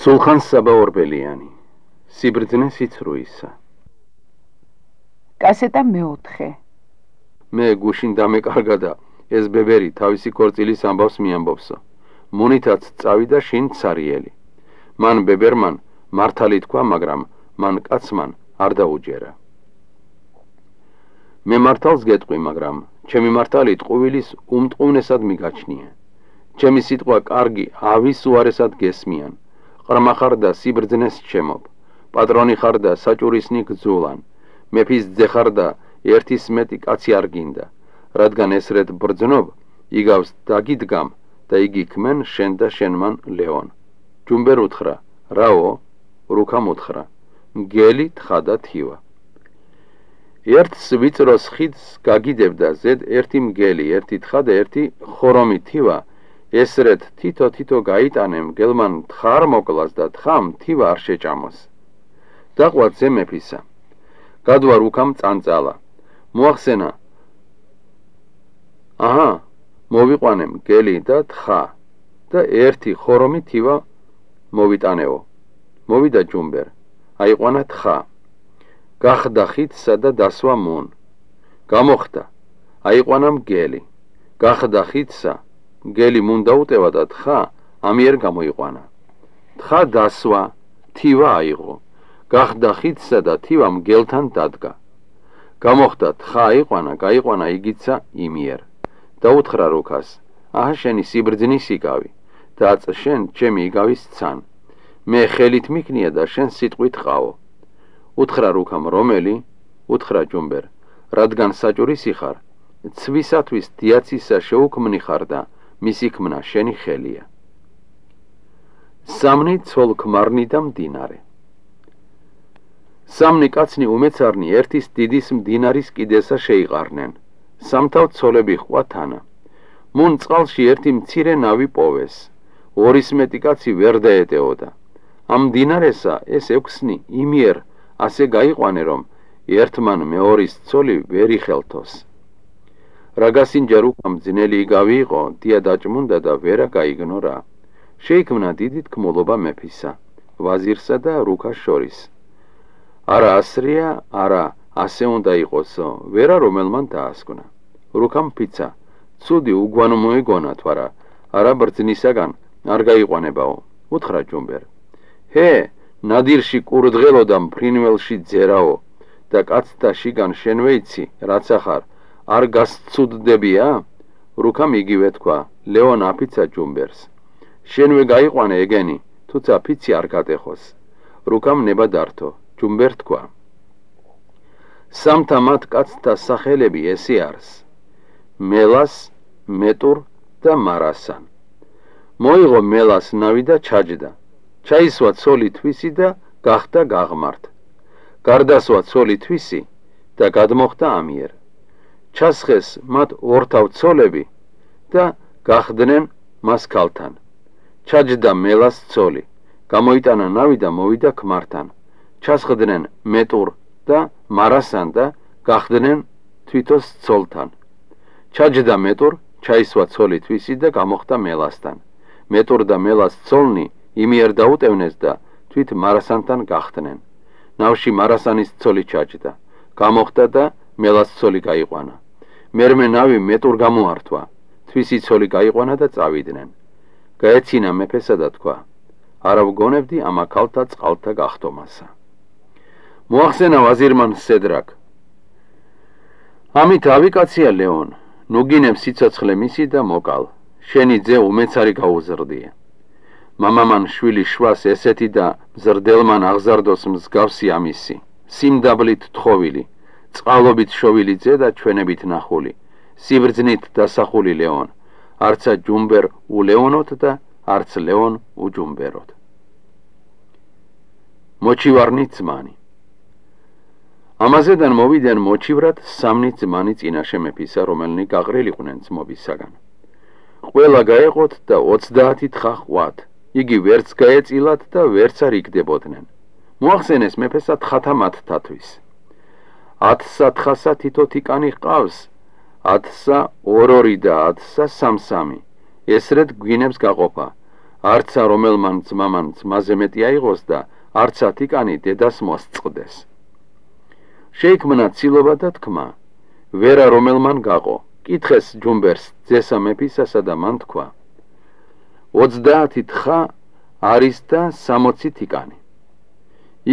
სულხან საბაორბელიანი სიბრძნე სიცრუისა კასეტა მეოთხე მე გუშინ დამეკარგა და ეს ბებერი თავისი ქორწილის ამბავს მიამბობსო მონითაც წავიდა შინ ცარიელი მან ბებერმან მართალი თქვა მაგრამ მან კაცმან არ დაუჯერა მე მართალს გეტყვი მაგრამ ჩემი მართალი ტყუილის უმტყუნესად მიგაჩნია ჩემი სიტყვა კარგი ავის უარესად გესმიან ყრმა ხარ და სიბრძნეს ჩემობ პატრონი ხარ და საჭურისნი გძულან მეფის ძე ხარ და ერთის მეტი კაცი არ გინდა რადგან ესრედ ბრძნობ იგავს დაგიდგამ და იგი ქმენ შენ და შენმან ლეონ ჯუმბერ უთხრა რაო რუქამ უთხრა მგელი თხა და თივა ერთს ვიწროს ხიდს გაგიდებდა ზედ ერთი მგელი ერთი თხა და ერთი ხორომი თივა ესრეთ თითო გაიტანემ გელმან თხარ მოკლას და თხამ თივა არ შეჭამოს დაყვა ძე მეფისა გადვა რუქამ წანწალა მოახსენა აჰა მოვიყვანე მგელი და თხა და ერთი ხორომი თივა მოვიტანეო მოვიდა ჯუმბერ აიყვანა თხა გახდა ხიდსა და დასვა მონ გამოხდა აიყვანა მგელი გახდა ხიდსა მგელი მუნ დაუტევა და თხა ამიერ გამოიყვანა თხა დასვა თივა აიღო გახდა ხიდსა და თივა მგელთან დადგა გამოხდა თხა აიყვანა გაიყვანა იგიცა იმიერ დაუთხრა რუქას აჰა შენი სიბრძნის იგავი და შენ ჩემი იგავის ცან მე ხელით მიქნია და შენ სიტყვით ყავო უთხრა რუქამ რომელი უთხრა ჯუმბერ რადგან საჭურისი ხარ ცვისათვის დიაცისა შეუქმნი ხარ და მისი ქმნა შენი ხელია სამნი ცოლ-ქმარნი და მდინარე სამნი კაცნი უმეცარნი ერთის დიდის მდინარის კიდესა შეიყარნენ სამთავ ცოლები ყვა თანა მუნ წყალში ერთი მცირე ნავი პოვეს ორის მეტი კაცი ვერ დაეტეოდა ამ მდინარესა ეს ექვსნი იმიერ ასე გაიყვანე რომ ერთმან მეორის ცოლი ვერ იხელთოს რაგასინჯა რუქამ ძნელი იგავი იყო დია დაჭმუნდა და ვერა გაიგნორა შეიქმნა დიდი თქმულობა მეფისა ვაზირსა და რუქას შორის არა ასრია არა ასე უნდა იყოსო ვერა რომელმან დაასკვნა რუქამ ფიცა ცუდი უგვანო მოიგონა თვარა არა ბრძნისაგან არ გაიყვანებაო უთხრა ჯუმბერ ჰე ნადირში კურდღელო და მფრინველში ძერაო და კაცთა შიგან შენ ვეიცი რაც ახარ არ გასცუდდებია რუქამ იგივე თქვა ლეონ აფიცა ჯუმბერს შენვე გაიყვანე ეგენი თუცა ფიცი არ გატეხოს რუქამ ნება დართო ჯუმბერ თქვა სამთა მათ კაცთა სახელები ესე არის მელას მეტურ და მარასან მოიღო მელას ნავი და ჩაჯდა ჩაისვა ცოლი თვისი და გახდა გაღმართ გარდასვა ცოლი თვისი და გადმოხდა ამიერ ჩასხეს მათ ორთავ ცოლები და გახდნენ მას ქალთან ჩაჯდა მელას ცოლი გამოიტანა ნავი და მოვიდა ქმართან ჩასხდნენ მეტურ და მარასან და გახდნენ თვითოს ცოლთან ჩაჯდა მეტურ ჩაისვა ცოლი თვისი და გამოხდა მელასთან მეტურ და მელას ცოლნი იმიერ დაუტევნეს და თვით მარასანთან გახდნენ ნავში მარასანის ცოლი ჩაჯდა გამოხდა და მელას ცოლი გაიყვანა მერმე ნავი მეტურ გამოართვა თვისი ცოლი გაიყვანა და წავიდნენ გაეცინა მეფესა და თქვა არა ვგონებდი ამ აქალთა წყალთა გახტომასა მოახსენა ვაზირმან სედრაკ ამით ავიკაცია ლეონ ნუ გინებ სიცოცხლე მისი და მოკალ შენი ძე უმეცარი გაუზრდია მამამან შვილი შვას ესეთი და მზრდელმან აღზარდოს მსგავსი ამისი სიმდაბლით თხოვილი წყალობით შოვილი ძე და ჩვენებით ნახული სიბრძნით დასახული ლეონ არცა ჯუმბერ ულეონოთ და არც ლეონ უჯუმბეროთ მოჩივარნი ძმანი ამაზედან მოვიდნენ მოჩივრად სამნი ძმანი წინაშე მეფისა რომელნი გაყრილიყვნენ ძმობისაგან ყველა გაეყოთ და 30 თხა ყვათ იგი ვერც გაეწილათ და ვერც არ იგდებოდნენ მოახსენეს მეფესა თხათა მათთათვის 10 თხასა თითო თიკანი ჰყავს 10 ორ-ორი და 10 სამ-სამი ესრედ გვინებს გაყოფა არცა რომელმან ძმამან ძმაზე მეტი აიღოს და არცა თიკანი დედას მოსწყდეს. შეიქმნა ცილობა და თქმა, ვერა რომელმან გაყო, კითხეს ჯუმბერს ძესა მეფისასა და მან თქვა, 30 თხა არის და 60 თიკანი.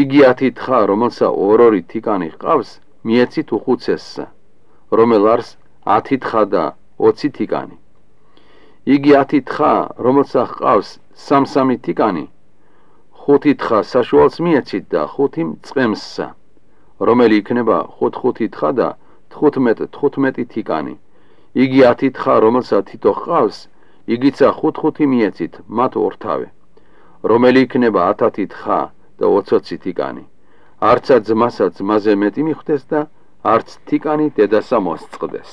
იგი 10 თხა, რომელსა ორ-ორი თიკანი ჰყავს, მიეცით უხუცესსა, რომელ არს 10 თხა და 20 თიკანი. იგი 10 თხა, რომელსა ჰყავს 3-3 თიკანი, 5 თხა საშუალს მიეცით და 5 მწყემსსა, რომელი იქნება 5-5 თხა და 15-15 თიკანი. იგი 10 თხა, რომელსა თითო ჰყავს, იგიცა 5-5 მიეცით, მათ ორთავე, რომელი იქნება 10 თხა და 20 თიკანი. არცა ძმასა ძმაზე მეტი მიხვდეს და არც თიკანი დედასა მოსწყდეს.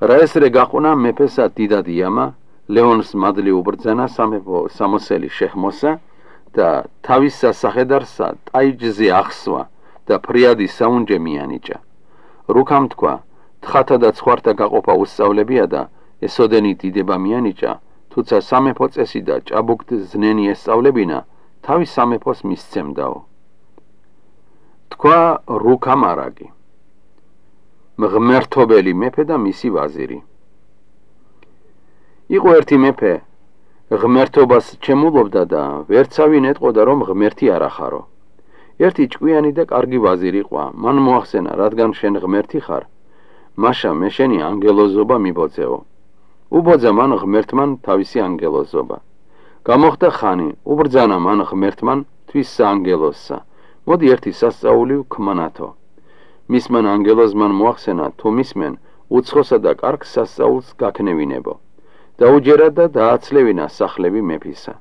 რა ესრე გაყვნა მეფესა დიდად იამა, ლეონს მადლი უბრძანა სამეფო სამოსელი შეჰმოსა და თავის სასახედარსა ტაიჯზე ახსვა და ფრიადი საუნჯე მიანიჭა. რუქამ თქვა, თხათა და ცხვართა გაყოფა უსწავლებია და ესოდენი დიდება მიანიჭა, თუცა სამეფო წესი და ჭაბუკთ ზნენი ესწავლებინა, თავის სამეფოს მისცემდაო. თქვა რუქამ არაგი, მღმერთობელი მეფე და მისი ვაზირი. იყო ერთი მეფე, ღმერთობას ჩემულობდა და ვერცავინ ეტყოდა, რომ ღმერთი არ ახარო. ერთი ჭკვიანი და კარგი ვაზირი ყვა, მან მოახსენა, რადგან შენ ღმერთი ხარ, მაშა მე შენი ანგელოზობა მიბოძეო. უბოძა მან ღმერთმან თავისი ანგელოზობა. გამოხდა ხანი, უბრძანა მან ღმერთმან თვის საანგელოზსა, მოდი ერთი სასწაული ვქმანათო. მისმან ანგელოზმან მოახსენა, თუ მისმენ უცხოსა და კარგ სასწაულს გაქნევინებო. დაუჯერა და დააცლევინა სახლები მეფისა.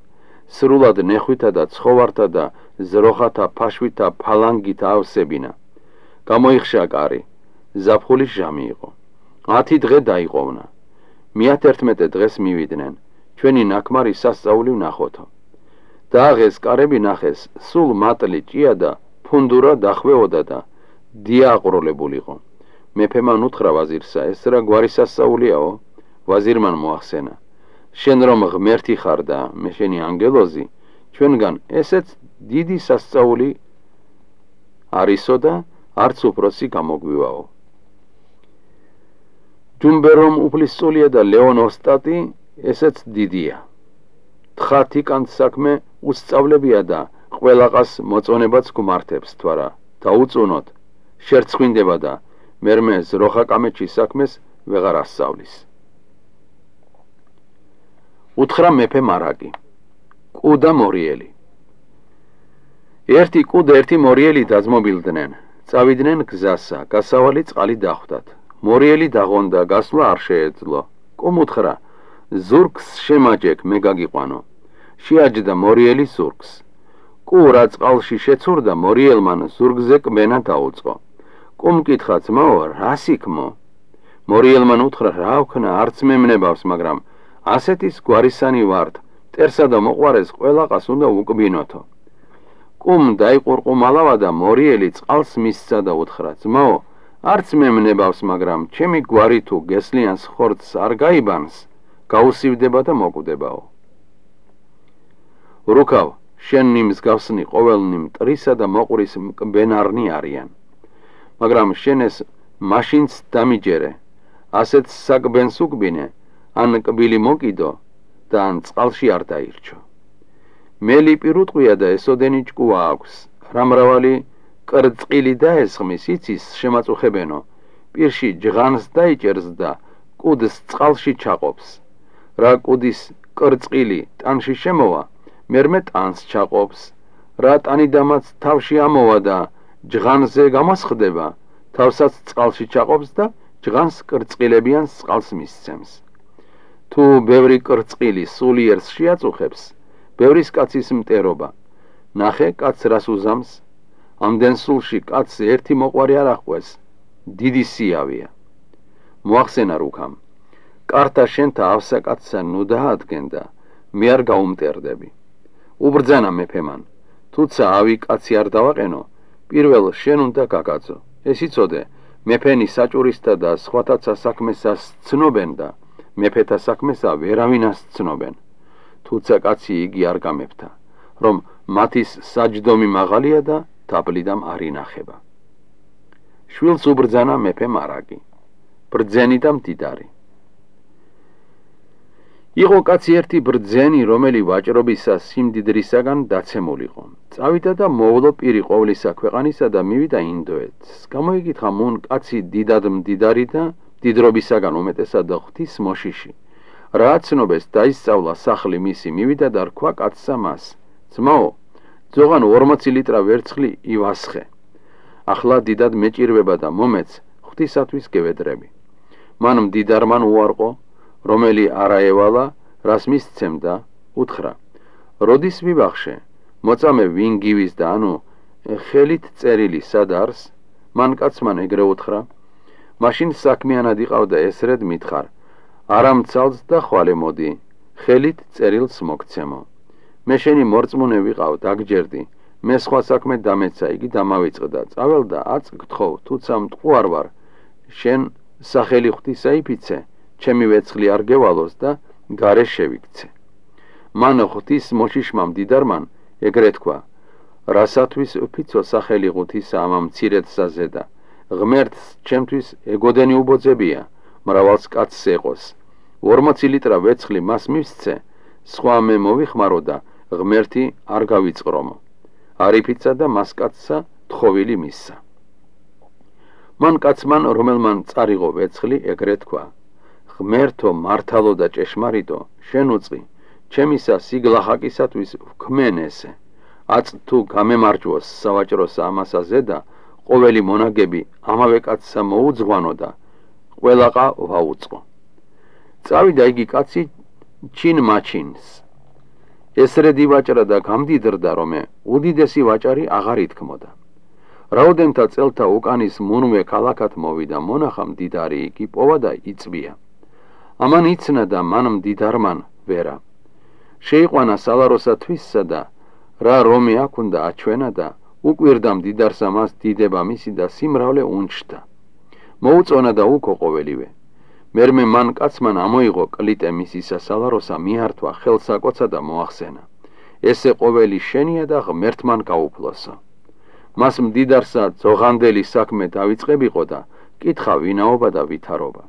სრულად ნეხვითა და ცხოვართა და ზროხათა ფაშვითა ფალანგით ავსებინა. გამოიხშა კარი, ზაფხულის ჟამი იყო. 10 დღე დაიყოვნა. 111 დღეს მივიდნენ, ჩვენი ნაკმარი სასწაული ვნახოთო. დააღეს კარები ნახეს, სულ მატლი ჭია და ფუნდურა დახვეოდა და დიაყროლებულიყო. მეფემან უთხრა ვაზირსა, ეს რა გვარი სასწაულიაო? ვაზირმან მოახსენა, შენ რომ ღმერთი ხარ და მე შენი ანგელოზი, ჩვენგან ესეც დიდი სასწაული არისო და არც უფროსი გამოგვივაო. ჯუმბერომ უფლისწულია და ლეონ ოსტატი ესეც დიდია. თხა თიკანს საქმე უსწავლებია და ყველაყას მოწონებაც გმართებს, თვარა დაუწუნოთ, შერცხვინდება და მერმე ზროხა კამეჩის საქმეს ვეღარ ასწავლის. უთხრა მეფე მარაგი, კუ და მორიელი. ერთი კუ და ერთი მორიელი დაძმობილდნენ, წავიდნენ გზასა, გასავალი წყალი დახვდათ. მორიელი დაღონდა, გასვლა არ შეეძლო. კუმ უთხრა, ზურგს შემაჯეკ, მე გაგიყვანო. შეაჯდა მორიელი ზურგს. კუ რა წყალში შეცურდა, მორიელმან ზურგზე კბენა დაუწყო. კუმ კითხა, ძმაო, რა სიქმო? მორიელმან უთხრა, რა ვქნა, არც მე მნებავს, მაგრამ ასეთის გვარისანი ვართ, მტერსა და მოყვარეს ყველაყას უნდა უკბინოთო. კუმ დაიყურყუმალავა და მორიელი წყალს მისცა და უთხრა, ძმაო, არც მე მნებავს, მაგრამ ჩემი გვარი თუ გესლიანს ხორცს არ გაიბანს, გაუსივდება და მოკვდებაო. რუქავ, შენი მსგავსნი ყოველნი მტრისა და მოყვრის მკბენარნი არიან, მაგრამ შენ ეს მაშინც დამიჯერე, ასეთ საკბენს უკბინე, ან კბილი მოკიდო და ან წყალში არ დაირჩო. მელი პირუტყვია და ესოდენი ჭკუა აქვს, რა მრავალი კრწყილი დაესხმის, იცის შემაწუხებენო, პირში ჯღანს დაიჭერს და კუდს წყალში ჩაყოფს. რა კუდის კრწყილი ტანში შემოვა, მერმე ტანს ჩაყოფს. რა ტანიდამაც თავში ამოვა და ჯღანზე გამოსხდება, თავსაც წყალში ჩაყოფს და ჯღანს კრწყილებიან წყალს მისცემს. თუ ბევრი კრწყილი სულიერს შეაწუხებს, ბევრის კაცის მტერობა. ნახე, კაც რას უზამს? ამდენ სულში კაცს ერთი მოყვარი არ ახვეს, დიდი სიავია. მოახსენა რუქამ, კარტა შენთა ავსაკაცსა ნუ დაადგენ და მე არ გაუმტერდები. უბრძანა მეფემან, თუცა ავი კაცი არ დავაყენო, პირველ შენ უნდა გაგაძო. ეს იცოდე, მეფენი საჭურისთა და სხვათა საქმესას ცნობენ და მეფეთა საქმესა ვერავინას ცნობენ. თუცა კაცი იგი არ გამეფთა, რომ მათის საჯდომი მაღალია და დაბლიდამ არ ინახება. შვილს უბრძანა მეფე მარაგი, ბრძენი და მდიდარი. იყო კაცი ერთი ბრძენი, რომელი ვაჭრობისა სიმდიდრისაგან დაცემულიყო. წავიდა და მოვლო პირი ყოვლისა ქვეყანისა და მივიდა ინდოეთს. გამოიკითხა მუნ კაცი დიდად მდიდარი და მდიდრობისაგან უმეტესად ღვთის მოშიში. რა აცნობეს დაისწავლა სახლი მისი, მივიდა და რქვა კაცსა მას, ძმაო, ძოღან 40 ლიტრა ვერცხლი ივასხე. ახლა დიდად მეჭირვება და მომეც ღვთისათვის გევედრები. მან მდიდარმან უარყო, რომელი არაევალა, რას მისცემდა, უთხრა, როდის ვიბახშე, მოწამე ვინ გივის და ანუ ხელით წერილი სად არის? მან კაცმან ეგრე უთხრა, მაშინ საქმიანად იყავდა ესრედ მითხარ, არა მცალს და ხვალე მოდი, ხელით წერილს მოგცემო. მე შენი მორწმუნე ვიყავ, დაგჯერდი, მე სხვა საქმე დამეცა, იგი დამავიწყდა, წავალ და აწ გთხოვ, თუცა მტყუარ ვარ, შენ სახელი ღვთისა იფიცე, ჩემი ვეცხლი არ გევალოს და გარე შევიქცე. მან ღვთის მოშიშმა მდიდარმან ეგრე თქვა, რასათვის ვფიცო სახელი ღვთისა ამ მცირედსა ზედა, ღმერთს ჩემთვის ეგოდენი უბოძებია, მრავალს კაცს ეყოს. 40 ლიტრა ვეცხლი მას მივსცე, სხვა მე მოვიხმარო და ღმერთი არ გავიწყრომო. არ იფიცა და მას კაცსა თხოვილი მისცა. მან კაცმან, რომელმან წარიღო ვეცხლი, ეგრე თქვა, ღმერთო მართალო და ჭეშმარიტო, შენ უწყი, ჩემისა სიგლახაკისათვის ვქმენ ესე. აწ თუ გამემარჯვოს სავაჭროს ამასა ზედა, ყოველი მონაგები ამავე კაცსა მოუძღვანო და ყველაყა ვაუწყო. წავიდა იგი კაცი ჩინ მაჩინს. ესრედ ივაჭრა და გამდიდრდა, რომ უდიდესი ვაჭარი აღარ ითქმოდა. რაოდენთა წელთა უკანის მუნვე ქალაქად მოვიდა, მონახა მდიდარი იგი პოვა და იწვია. ამან იცნა და მან მდიდარმან ვერა. შეიყვანა სალაროსა თვისსა და რა რომი აქ უნდა აჩვენა და უკვირდა მდიდარსა მას დიდება მისი და სიმრავლე უნჩდა. მოუწონა და უკო ყოველივე. მერმე მან კაცმან ამოიღო კლიტე მისისა სალაროსა, მიართვა, ხელსაკოცა და მოახსენა. ესე ყოველი შენია და ღმერთმან გაუფლოსო. მას მდიდარსა ძოღანდელი საქმე დავიწყებიყო და კითხა ვინაობა და ვითარობა.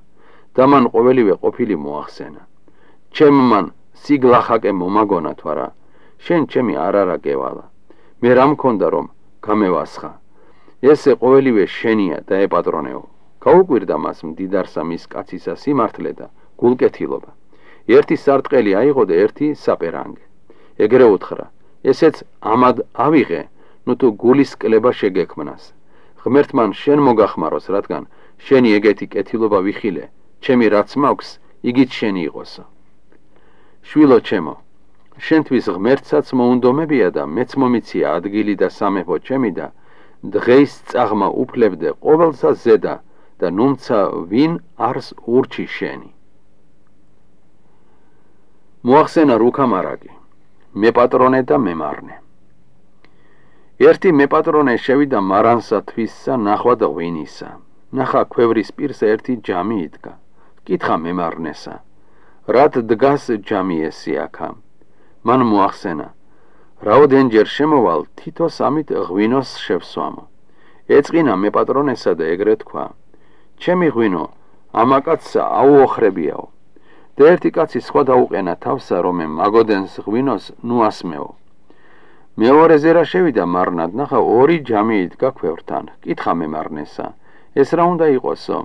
და მან ყოველივე ყოფილი მოახსენა. ჩემმან სიგლახაკე მომაგონა თვარა, შენ ჩემი არარა გევალა. მე რა მქონდა რომ გამევასხა. ესე ყოველივე შენია და ეპატრონეო. გაუკვირდა მას მდიდარსა მის კაცისა სიმართლე და გულკეთილობა. ერთი სარტყელი აიღო და ერთი საპერანგე. ეგრე უთხრა, ესეც ამად ავიღე, ნუ თუ გულის კლება შეგექმნას. ღმერთმან შენ მოგახმაროს, რადგან შენი ეგეთი კეთილობა ვიხილე, ჩემი რაც მაქვს, იგიც შენი იყოსო. შვილო ჩემო, შენთვის ღმერთსაც მოუნდომებია და მეც მომიცია ადგილი და სამეფო ჩემი და დღეის წაღმა უფლებდე ყოველსა ზედა და ნუმცა ვინ არს ურჩი შენი. მოახსენა რუქა მარაგი, მეპატრონე და მემარნე. ერთი მეპატრონე შევიდა მარანსა თვისსა ნახვად ღვინისა. ნახა ქვევრის პირსა ერთი ჯამი იდგა. კითხა მემარნესა, რად დგას ჯამი ესი აქა? მან მოახსენა, რაოდენჯერ შემოვალ, თითო სამით ღვინოს შევსვამო. ეწყინა მეპატრონესა და ეგრე თქვა, ჩემი ღვინო, ამა კაცსა აუოხრებიაო. და ერთი კაცი სხვა დაუყენა თავსა, რომ მაგოდენს ღვინოს ნუ ასმეო. მეორეზე რა შევიდა მარნად, ნახა ორი ჯამი იდგა ქვევრთან. კითხა მემარნესა, ეს რა უნდა იყოსო?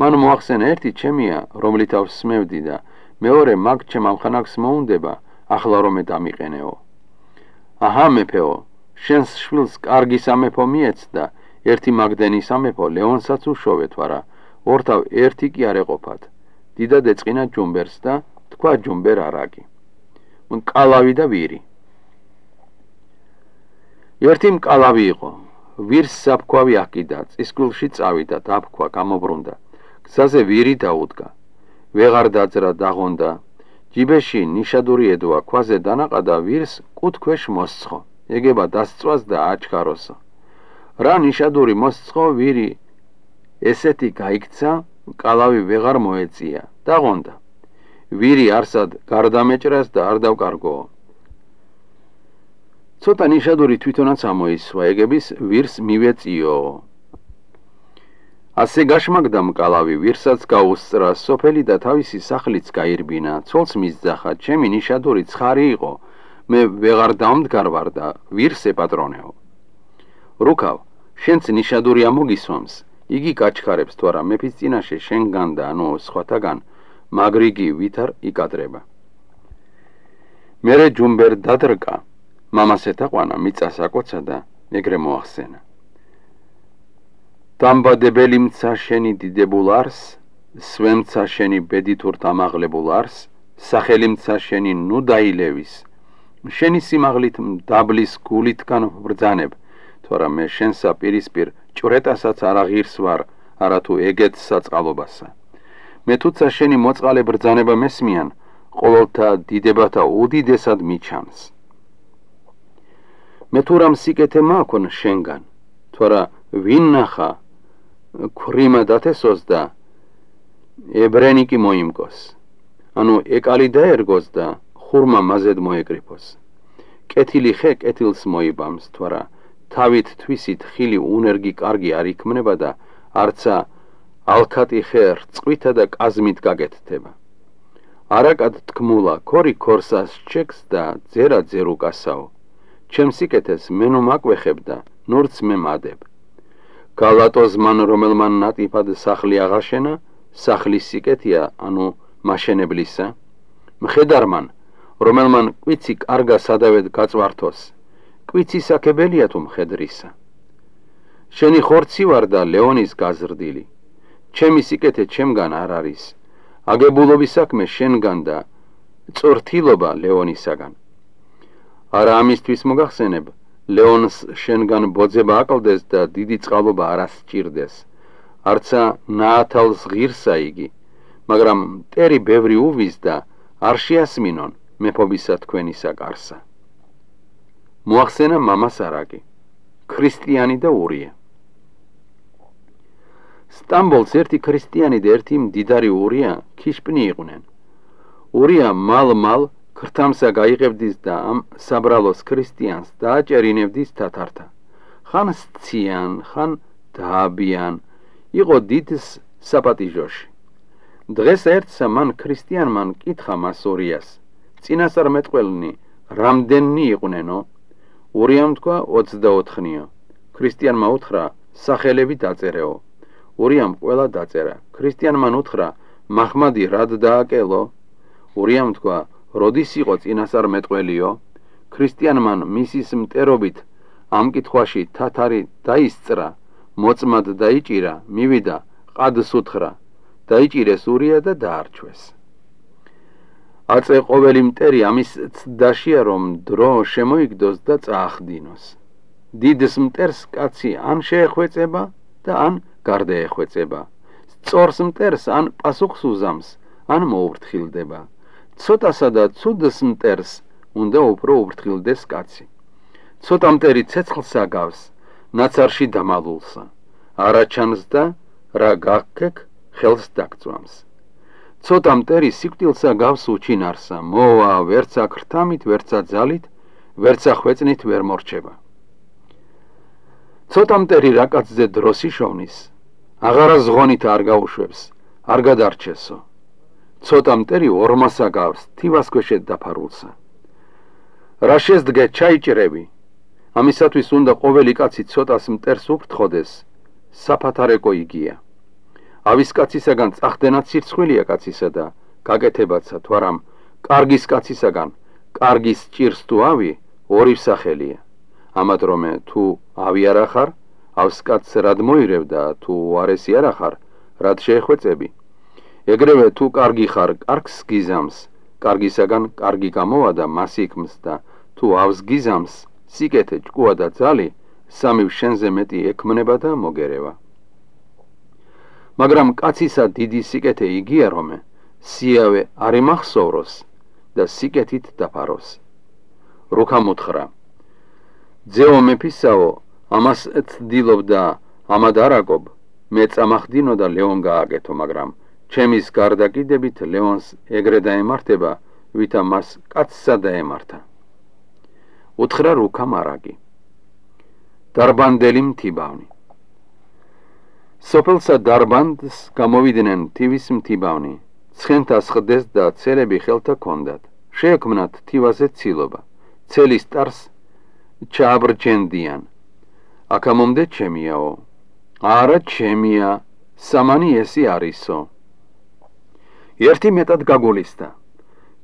მან მოახსენა, ერთი ჩემია, რომლით ავსმევდი და მეორე მაგ ჩემ ამხანაგს მოუნდება, ახლა რომე დამიყენეო. აჰა მეფეო, შენს შვილს კარგი სამეფო მიეცდა, ერთი მაგდენი სამეფო ლეონსაც უშოვე თვარა, ორთავ ერთი კი არ ეყოფათ. დიდად ეწყინა ჯუმბერს და თქვა ჯუმბერ არაკი. მკალავი და ვირი. ერთი მკალავი იყო, ვირს საფქვავი აკიდა, წისქვილში წავიდა, დაფქვა, გამობრუნდა. გზაზე ვირი დაუდგა. ვეღარ დაძრა, დაღონდა. ჯიბეში ნიშადური ედვა, ქვაზე დანაყდა, ვირს კუთ ქვეშ მოსცხო. ეგება დასწვას და აჩქაროსო. რა ნიშადური მოსცხო, ვირი ესეთი გაიქცა, მკალავი ვეღარ მოეწია, დაღონდა. ვირი არსად გარდამეჭრას და არ დავკარგო. ცოტა ნიშადური თვითონაც ამოისვა, ეგების ვირს მივეწიო. ასე გაშმაგდა მკალავი, ვირსაც გაუსწრა სოფელი და თავისი სახლიც გაირბინა, ცოლს მისძახა, ჩემი ნიშადური ცხარი იყო, მე ვეღარ დამდგარ ვარ და ვირს ეპატრონეო. რუკავ, შენც ნიშადური ამოგისვამს, იგი გაჩქარებს თუ არა მეფის წინაშე შენგან და ანუ სხვათაგან, მაგრიგი ვითარ იკადრება. მერე ჯუმბერ დადრკა, მამას ეთაყვანა, მიწას აკოცა და ეგრე მოახსენა. დამბადებელი მცა შენი დიდებულ არს, სვემცა შენი ბედითურთ ამაღლებულ არს, სახელი მცა შენი ნუ დაილევის, შენი სიმაღლით დაბლის გულითგან ვბრძანებ, თორა მე შენსა პირისპირ ჭვრეტასაც არ აღირს ვარ, არათუ ეგეთ საწყალობასა. მე თუცა შენი მოწყალე ბრძანება მესმიან, ყოველთა დიდებათა უდიდესად მიჩანს. მე თუ რამ სიკეთე მაქვთ შენგან, თორა ვინ ნახა ქრიმა დათესოს და ებრენიკი მოიმკოს, ანუ ეკალი დაერგოს და ხურმა მაზედ მოეკრიფოს. კეთილი ხე კეთილს მოიბამს, თორა თავით თვისით ხილი უნერგი კარგი არ იქმნება და არცა ალქატი ხე რწყვითა და კაზმით გაკეთდება. არაკად თქმულა ქორი ქორსას ჩეკს და ძერა ძერუკასაო. ჩემ სიკეთეს მე ნუ მაკვეხებ და ნურც მე მადებ. გალატოს მან რომელმან ნატიფად სახლი აღაშენა, სახლის სიკეთია, ანუ მაშენებლისა. მხედარმან, რომელმან კვიცი კარგა სადავედ გაწვართოს, კვიცი საქებელია თუ მხედრისა. შენი ხორცი ვარ და ლეონის გაზრდილი, ჩემი სიკეთე ჩემგან არ არის, აგებულობის საქმე შენგან და წვრთილობა ლეონისაგან. არა ამისთვის მოგახსენებ, ლეონს შენგან ბოძება აკლდეს და დიდი წყალობა არ ასჭირდეს, არცა ნაათალს ღირსა იგი, მაგრამ მტერი ბევრი უვის და არ შეასმინონ მეფობისა თქვენისა კარსა. მოახსენა მამას არაკი, ქრისტიანი და ურია. სტამბოლს ერთი ქრისტიანი და ერთი მდიდარი ურია ქიშპნი იყვნენ. ურია მალ ქრთამსა გაიღებდის და ამ საბრალოს ქრისტიანს დააჭერინებდის თათართა. ხან სციან, ხან დააბიან, იყო დიდს საპატიჟოში. დღეს ერთსა მან ქრისტიანმან კითხა მას ურიას, წინასწარმეტყველნი რამდენნი იყვნენო? ურიამ თქვა 24-ნიო. ქრისტიანმა უთხრა სახელები დაწერეო. ურიამ ყველა დაწერა. ქრისტიანმან უთხრა მაჰმადი რად დააკელო? ურიამ თქვა როდის იყო წინასწარმეტყველიო? ქრისტიანმან მისის მტერობით ამ კითხვაში თათარი დაისწრა, მოწმად დაიჭირა, მივიდა, ყადს უთხრა, დაიჭირეს ურია და დაარჩვეს. აწე ყოველი მტერი ამის ცდაშია, რომ დრო შემოიგდოს და წაახდინოს. დიდს მტერს კაცი ან შეეხვეწება და ან გარდაეხვეწება. სწორს მტერს ან პასუხს უზამს, ან მოუფრთხილდება. ცოტასა და ცუდს მტერს უნდა უფრო უფრთხილდეს კაცი. ცოტა მტერი ცეცხლს აგავს, ნაცარში დამალულსა. არა ჩანს და რა გაქქექ ხელს დაგწვამს. ცოტა მტერი სიკვდილსა გავს უჩინარსა, მოვა ვერცა ქრთამით, ვერცა ძალით, ვერცა ხვეწნით ვერ მორჩება. ცოტა მტერი რა კაცზე დროს იშოვნის, აღარა ზღონით არ გაუშვებს, არ გადარჩესო. ცოტა მტერი ორმასა გავს, თივას ქვეშეთ დაფარულსა. რა შეძდგე ჩაიჭრები, ამისათვის უნდა ყოველი კაცი ცოტას მტერს უფრთხოდეს, საფათარეკო იგია. ავის კაცისაგან წახდენად სირცხვილია კაცისა და გაკეთებაცა, თვარამ კარგის კაცისაგან კარგის ჭირს თუ ავი ორი სახელია. ამათ რომე თუ ავი არ ახარ,ავს კაცს რად მოირევ და თუ უარესი არ ახარ, რად შეეხვეწები. ეგრევე თუ კარგი ხარ, კარგს გიზამს, კარგისაგან კარგი გამოვა და მას იქმს და თუავს გიზამს, სიკეთე, ჭკუა და ძალი, სამივ შენზე მეტი ექმნება და მოგერევა. მაგრამ კაცისა დიდი სიკეთე იგია, რომე სიავე არ იმახსოვროს და სიკეთით დაფაროს. რუქამ უთხრა, ძეო მეფისაო, ამას ცდილობ და ამად არაკობ, მე წამახდინო და ლეონ გააკეთო, მაგრამ ჩემის გარდაკიდებით ლეონს ეგრე დაემართება, ვითა მას კაცსა დაემართა. უთხრა რუქა მარაგი. დარბანდელი მთიბავნი. სოფელსა დარბანდს გამოვიდნენ თივის მთიბავნი, ცხენთას ხდეს და ცელები ხელთა ჰქონდათ. შეექმნათ თივაზე ცილობა, ცელის ტარს ჩააბრჯენდიან. აქამომდე ჩემიაო, არა ჩემია, სამანი ესი არისო. ერთი მეტად გაგულისდა.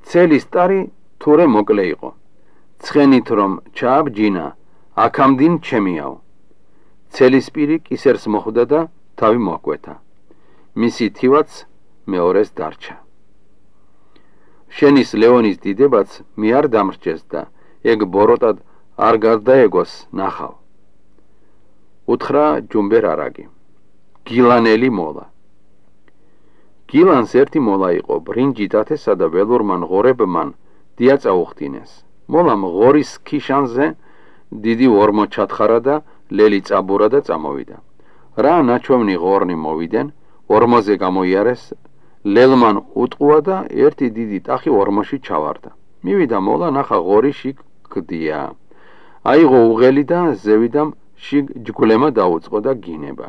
ცელის ტარი თურე მოკლე იყო. ცხენით რომ ჩააბჯინა, აქამდინ ჩემიაო. ცელის პირი კისერს მოხვდა და თავი მოაკვეთა. მისი თივაც მეორეს დარჩა. შენის ლეონის დიდებაც მე არ დამრჩეს და ეგ ბოროტად არ გარდაეგოს ნახავ. უთხრა ჯუმბერ არაგი. გილანელი მოლა. გილანს ერთი მოლა იყო, ბრინჯით ათესა და ველურმან ღორებმან დია წაუხდინეს. მოლამ ღორის ქიშანზე დიდი ორმო ჩათხარა და ლელი წაბურა და წამოვიდა. რა ნაჩვენი ღორნი მოვიდენ, ორმოზე გამოიარეს, ლელმან უტყუა და ერთი დიდი ტახი ორმოში ჩავარდა. მივიდა მოლა, ნახა ღორი შიგ გდია. აიღო უღელი და ზევიდამ შიგ ჯგვლემა დაუწყო და გინება.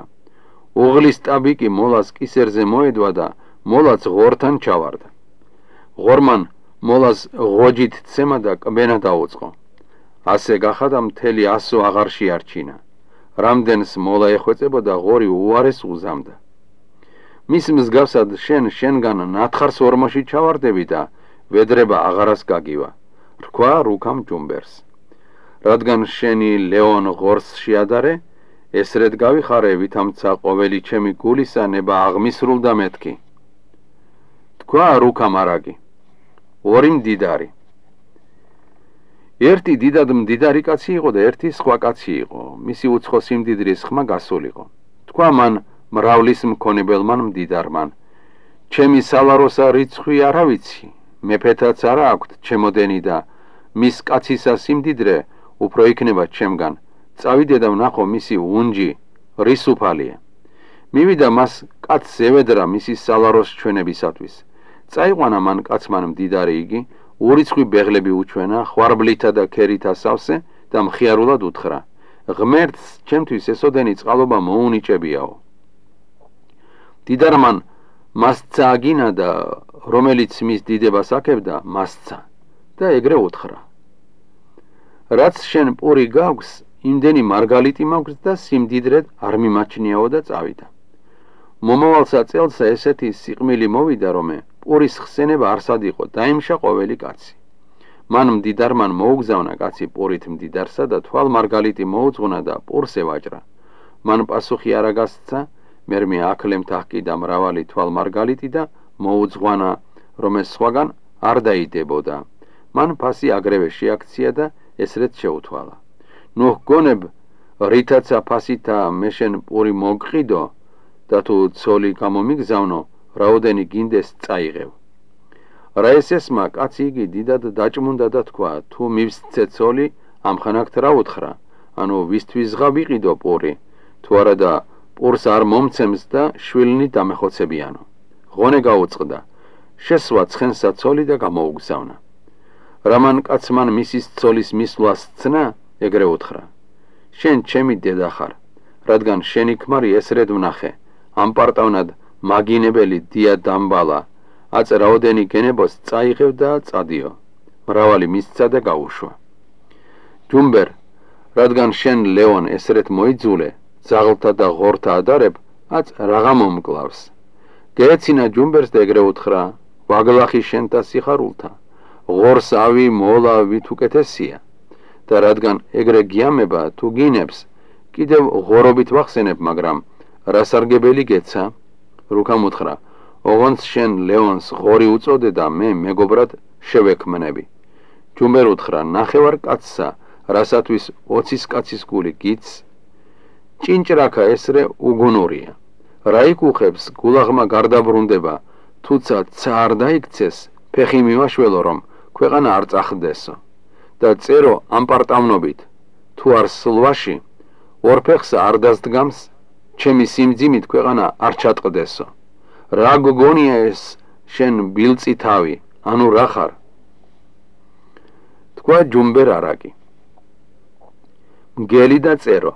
უღლის ტაბიკი მოლას კისერზე მოედვა და მოლაც ღორთან ჩავარდა. ღორმან მოლას ღოჯით ცემა და კბენა დაუწყო. ასე გახადა მთელი 100 აღარ შეარჩინა. რამდენს მოლა ეხვეწებოდა, ღორი უარეს უზამდა. მის მსგავსად შენგან ნათხარს ორმოში ჩავარდები და ვედრება აღარას გაგივა. რქვა რუქამ ჯუმბერს. რადგან შენი ლეონ ღორს შეადარე, ესრედ გავიხარე, ვითამცა ყოველი ჩემი გულისა ნება აღმისრულდა მეთქი. თქვა რუქა მარაგი. ორი მდიდარი. ერთი დიდად მდიდარი კაცი იყო და ერთი სხვა კაცი იყო. მისი უცხო სიმდიდრის ხმა გასულიყო. თქვა მან მრავლის მქონებელმან მდიდარმან, ჩემი სალაროსა რიცხვი არა ვიცი, მეფეთაც არა აქვთ ჩემოდენი და მის კაცისა სიმდიდრე უფრო იქნება ჩემგან. წავიდე და ვნახო მისი უნჯი რის უფალია. მივიდა მას კაცს ევედრა მისი სალაროს ჩვენებისათვის. წაიყვანა მან კაცმან მდიდარი იგი, ურიცხვი ბეღლები უჩვენა, ხვარბლითა და ქერითა სავსე და მხიარულად უთხრა, ღმერთს ჩემთვის ესოდენი წყალობა მოუნიჭებიაო. დიდარმან მასცა აგინა და რომელიც მის დიდებას აქებდა, მასცა და ეგრე უთხრა. რაც შენ პური გაქვს, იმდენი მარგალიტი მაქვს და სიმდიდრედ არ მიმაჩნიაო და წავიდა. მომავალსა წელსა ესეთი სიყმილი მოვიდა, რომ პურის ხსენება არსად იყო, დაიმშა ყოველი კაცი. მან მდიდარმან მოუგზავნა კაცი პურით მდიდარსა და თვალ მარგალიტი მოუძღვნა და პურს ევაჭრა. მან პასუხი არა გასცა, მერმე აკლემთ აჰკიდა მრავალი თვალ მარგალიტი და მოუძღვანა, რომ ეს სხვაგან არ დაიდებოდა. მან ფასი აგრევე შეაქცია და ესრეთ შეუთვალა. ნუ გონებ რითაცა ფასითა მე შენ პური მოგყიდო და თუ ცოლი გამომიგზავნო, რაოდენი გინდეს წაიღევ. რა ესესმა კაცი იგი დიდად დაჭმუნდა და თქვა, თუ მივსცე ცოლი, ამხანაგთ რა უთხრა, ანუ ვისთვის ღავიყიდო პური, თუ არა და პურს არ მომცემს და შვილნი დამეხოცებიანო. ღონე გაუწყდა, შესვა ცხენსა ცოლი და გამოუგზავნა. რამან კაცმან მისის ცოლის მისვლას ცნა, ეგრე უთხრა, შენ ჩემი დედა ხარ, რადგან შენი ქმარი ესრედ ვნახე, ამპარტავნად მაგინებელი დია დამბალა, აწ რაოდენი გენებოს წაიღევ და წადიო. მრავალი მისცა და გაუშვა. ჯუმბერ, რადგან შენ ლეონ ესრეთ მოიძულე, ძაღლთა და ღორთა ადარებ, აწ რაღა მომკლავს. გეეცინა ჯუმბერს და ეგრე უთხრა, ვაგლახი შენთა სიხარულთა, ღორს ავი მოლა ვით უკეთესია. და რადგან ეგრე გიამება, თუ გინებს, კიდევ ღორობით ვახსენებ, მაგრამ რასარგებელი გეცა? რუქამ უთხრა, ოღონდ შენ ლეონს ღორი უწოდე და მე მეგობრად შევექმნები. ჯუმბერ უთხრა, ნახევარ კაცსა, რასათვის 20 კაცის გული გიც? ჭინჭრაკა ესრე უგუნურია. რა იკუხებს, გულაღმა გარდაბრუნდება, თუცა ცა არ დაიქცეს, ფეხი მივაშველო, რომ ქვეყანა არ წახდესო. და წერო ამპარტავნობით, თუ არ სლვაში, ორფეხსა არ დასდგამს, ჩემი სიმძიმით ქვეყანა არ ჩატყდესო. რა გგონია ეს შენ ბილწი თავი, ანუ რა ხარ? თქვა ჯუმბერ არაკი. მგელი და წერო.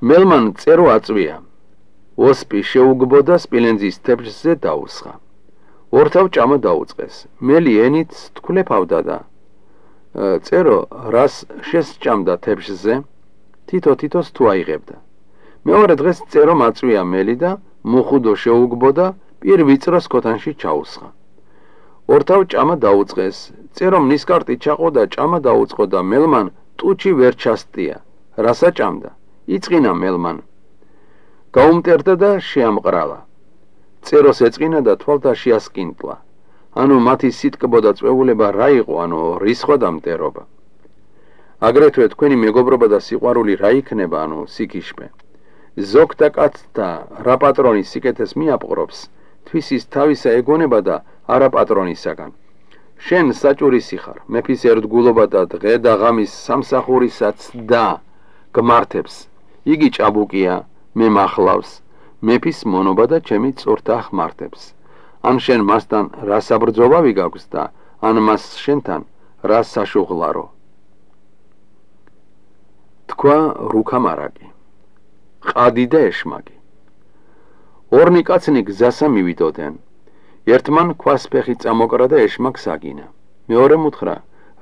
მელმან წერო აწვია. ოსპი შეუგბოდა სპილენძის თეფშზე დაუსხა. ორთავ ჭამა დაუწყეს. მელი ენით თქულეფავდა და წერო რას შესჭამდა თეფშზე, თითო-თითოს თუ აიღებდა. მეორე დღეს წერო მაწვია მელი და მუხუდო შეუგბოდა პირ ვიწროს ქოთანში ჩაუსხა. ორთავ ჭამა დაუწყეს. წერომ ნისკარტი ჩაყო და ჭამა დაუწყო და მელმან ტუჩი ვერ ჩასტია. რასა ჭამდა? იწყინა მელმან. გაუმტერდა და შეამყრალა. წეროს ეწყინა და თვალთაში ასკინტლა. ანუ მათი სიტკბო და წვეულება რა იყო, ანუ რისხვა და მტერობა. აგრეთვე თქვენი მეგობრობა და სიყვარული რა იქნება, ანუ სიკიშბე. ზოგთა კაცთა რა პატრონის სიკეთეს მიაპყრობს, თვისის თავისა ეგონება და არა პატრონისაგან. შენ საჭურისი ხარ, მეფის ერთგულობა და დღე და ღამის სამსახურისაც და გმართებს. იგი ჭაბუკია, მე მახლავს, მეფის მონობა და ჩემი წურთა ხმართებს. ან შენ მასთან რა საბრძოლავი გაქვს და ან მას შენთან რა საშუღლარო. თქვა რუქამარაკი. ყადი და ეშმაკი. ორნი კაცნი გზასა მივიდოდნენ. ერთმან ქვასფეხი წამოკრა და ეშმაკს აგინა. მეორე მუთხრა,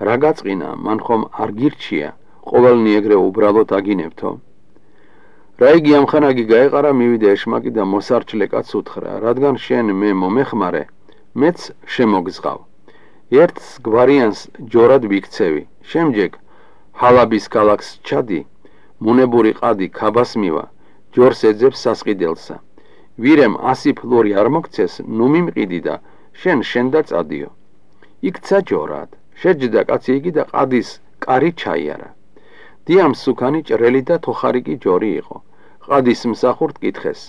რა გაწყინა, მან ხომ არ გირჩია, ყოველნი ეგრე უბრალოდ აგინებთო. რა იგი ამხანაგი გაეყარა, მივიდა ეშმაკი და მოსარჩლე კაცს უთხრა, რადგან შენ მე მომეხმარე, მეც შემოგზღავ. ერთს გვარიანს ჯორად ვიქცევი, შემჯეგ ჰალაბის ქალაქს ჩადი, მუნებური ყადი ქაბას მივა, ჯორს ეძებს სასყიდელსა. ვირემ 100 ფლორი არ მოგცეს, ნუ მიმყიდი და შენ და წადიო. იქცა ჯორად, შეჯდა კაცი იგი და ყადის კარი ჩაიარა. დიამ სუქანი ჭრელი და თოხარიკი ჯორი იყო. ყადის მსახურთ კითხეს.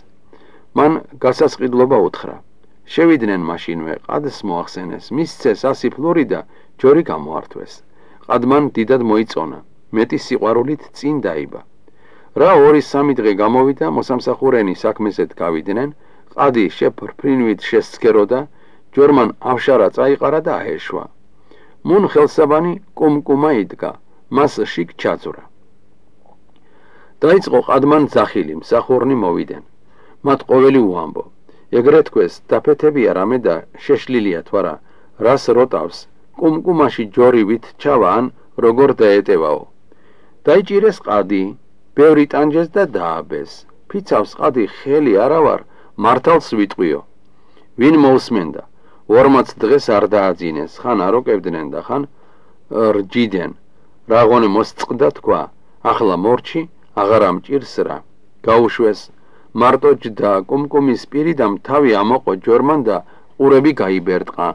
მან გასასყიდლობა უთხრა. შევიდნენ მაშინვე, ყადს მოახსენეს, მისცეს 100 ფლორი და ჯორი გამოართვეს. ყადმან დიდად მოიწონა, მეტი სიყვარულით წინ დაიბა. რა 2-3 დღე გამოვიდა, მოსამსახურენი საქმესეთ გავიდნენ, ყადი შეფრფრინვით შესცქეროდა, ჯორმან ავშარა წაიყარა და აეშვა. მუნ ხელსაბანი კუმკუმა იდგა, მას შიგ ჩაძვრა. დაიწყო ყადმან ძახილი, მსახურნი მოვიდნენ. მათ ყოველი უამბო. ეგრე თქვეს, დაფეთებია რამე და შეშლილია თვარა, რას როტავს, კუმკუმაში ჯორივით ჩავა ან როგორ დაეტევაო. დაიჭირეს ყადი, ბევრი ტანჯეს და დააბეს. ფიცავს ყადი ხელი არავარ, მართალს ვიტყვიო. ვინ მოусმენდა, 40 დღეს არ დააძინეს, ხან აროკებდნენ და ხან რჯიდან. რაღონე მოსწყდა თქვა, ახლა მორჩი, აღარ ამჭირს რა. გაუშვეს, მარტო ჯდა კუმკუმის პირიდამ თავი ამოყო ჯორმან და ყურები გაიბერტყა.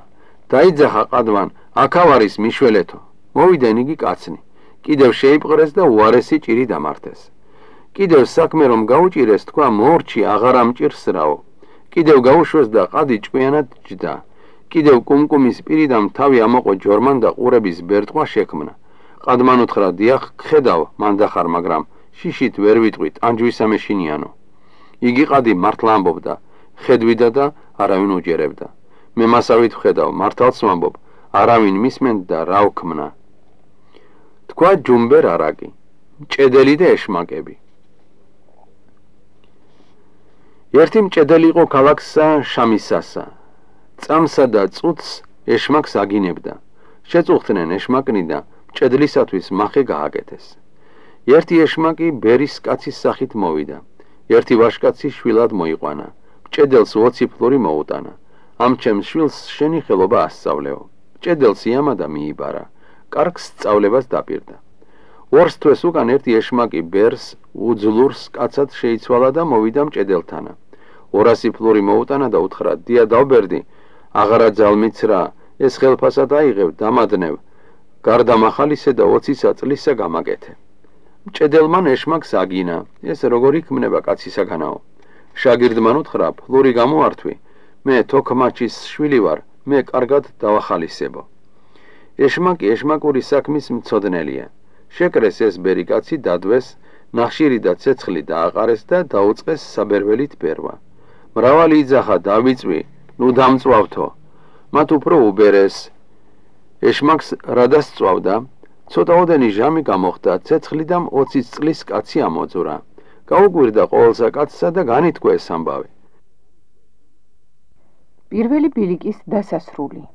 დაიძახა ყადმან, აქავ არის მიშველეთო. მოვიდნენ იგი კაცნი. კიდევ შეიპყრეს და უარესი ჭირი დამართეს. კიდევ საქმე რომ გაუჭირეს, თქვა მორჩი აღარ ამჭირს რაო. კიდევ გაუშვეს და ყადი ჭკვიანად ჯდა. კიდევ კუმკუმის პირიდამ თავი ამოყო ჯორმან და ყურების ბერტყვა შექმნა. ყადმან უთხრა, დიახ, ხედავ, მანდახარ, მაგრამ შიშით ვერ ვიტყვით, ანჯვისა მეშინიანო. იგი ყადი მართლა ამბობდა, ხედვიდა და არავინ უჯერებდა. მე მასავით ვხედავ, მართალს ვამბობ, არავინ მისმენდა და რა ვქმნა. თქვა ჯუმბერ არაკი, მჭედელი და ეშმაკები. ერთი მჭედელი იყო ქალაქსა შამისასა. წამსა და წუთს ეშმაკს აგინებდა. შეწუხდნენ ეშმაკნი და მჭედლისათვის მახე გააკეთეს. ერთი ეშმაკი ბერის კაცის სახით მოვიდა. ერთი ვაშკაცი შვილად მოიყვანა. მჭედელს 20 ფლორი მოუტანა. ამ ჩემს შვილს შენი ხელობა ასწავლეო. მჭედელს იამადა მიიბარა. კარგს სწავლებას დაპირდა. ორს თვეს უკან ერთი ეშმაკი ბერს უძლურს კაცად შეიცვალა და მოვიდა მჭედელთანა. 200 ფლორი მოუტანა და უთხრა, დია დავბერდი, აღარა ძალმიცრა, ეს ხელფასად აიღებ, დამადნევ, გარდა მახალისე და 20 წლისა გამაკეთე. მჭედელმან ეშმაკს აგინა, ეს როგორ იქმნება კაცისაგანაო. შაგირდმან უთხრა, ფლორი გამოართვი, მე თოქმაჩის შვილი ვარ, მე კარგად დავახალისებო. ეშმაკი ეშმაკური საქმის მცოდნელია. შეკრეს ეს ბერი კაცი, დადვეს, ნახშირი და ცეცხლი დააყარეს და დაუწყეს საბერველით ბერვა. მრავალი იძახა დავიწვი, ნუ დამწვავთო. მათ უფრო უბერეს. ეშმაკს რადას წვავდა, ცოტაოდენი ჟამი გამოხდა, ცეცხლი და 20 წლის კაცი ამოძვრა. გაუკვირდა ყოველსა კაცსა და განითქვა ეს ამბავი. პირველი ბილიკის დასასრული.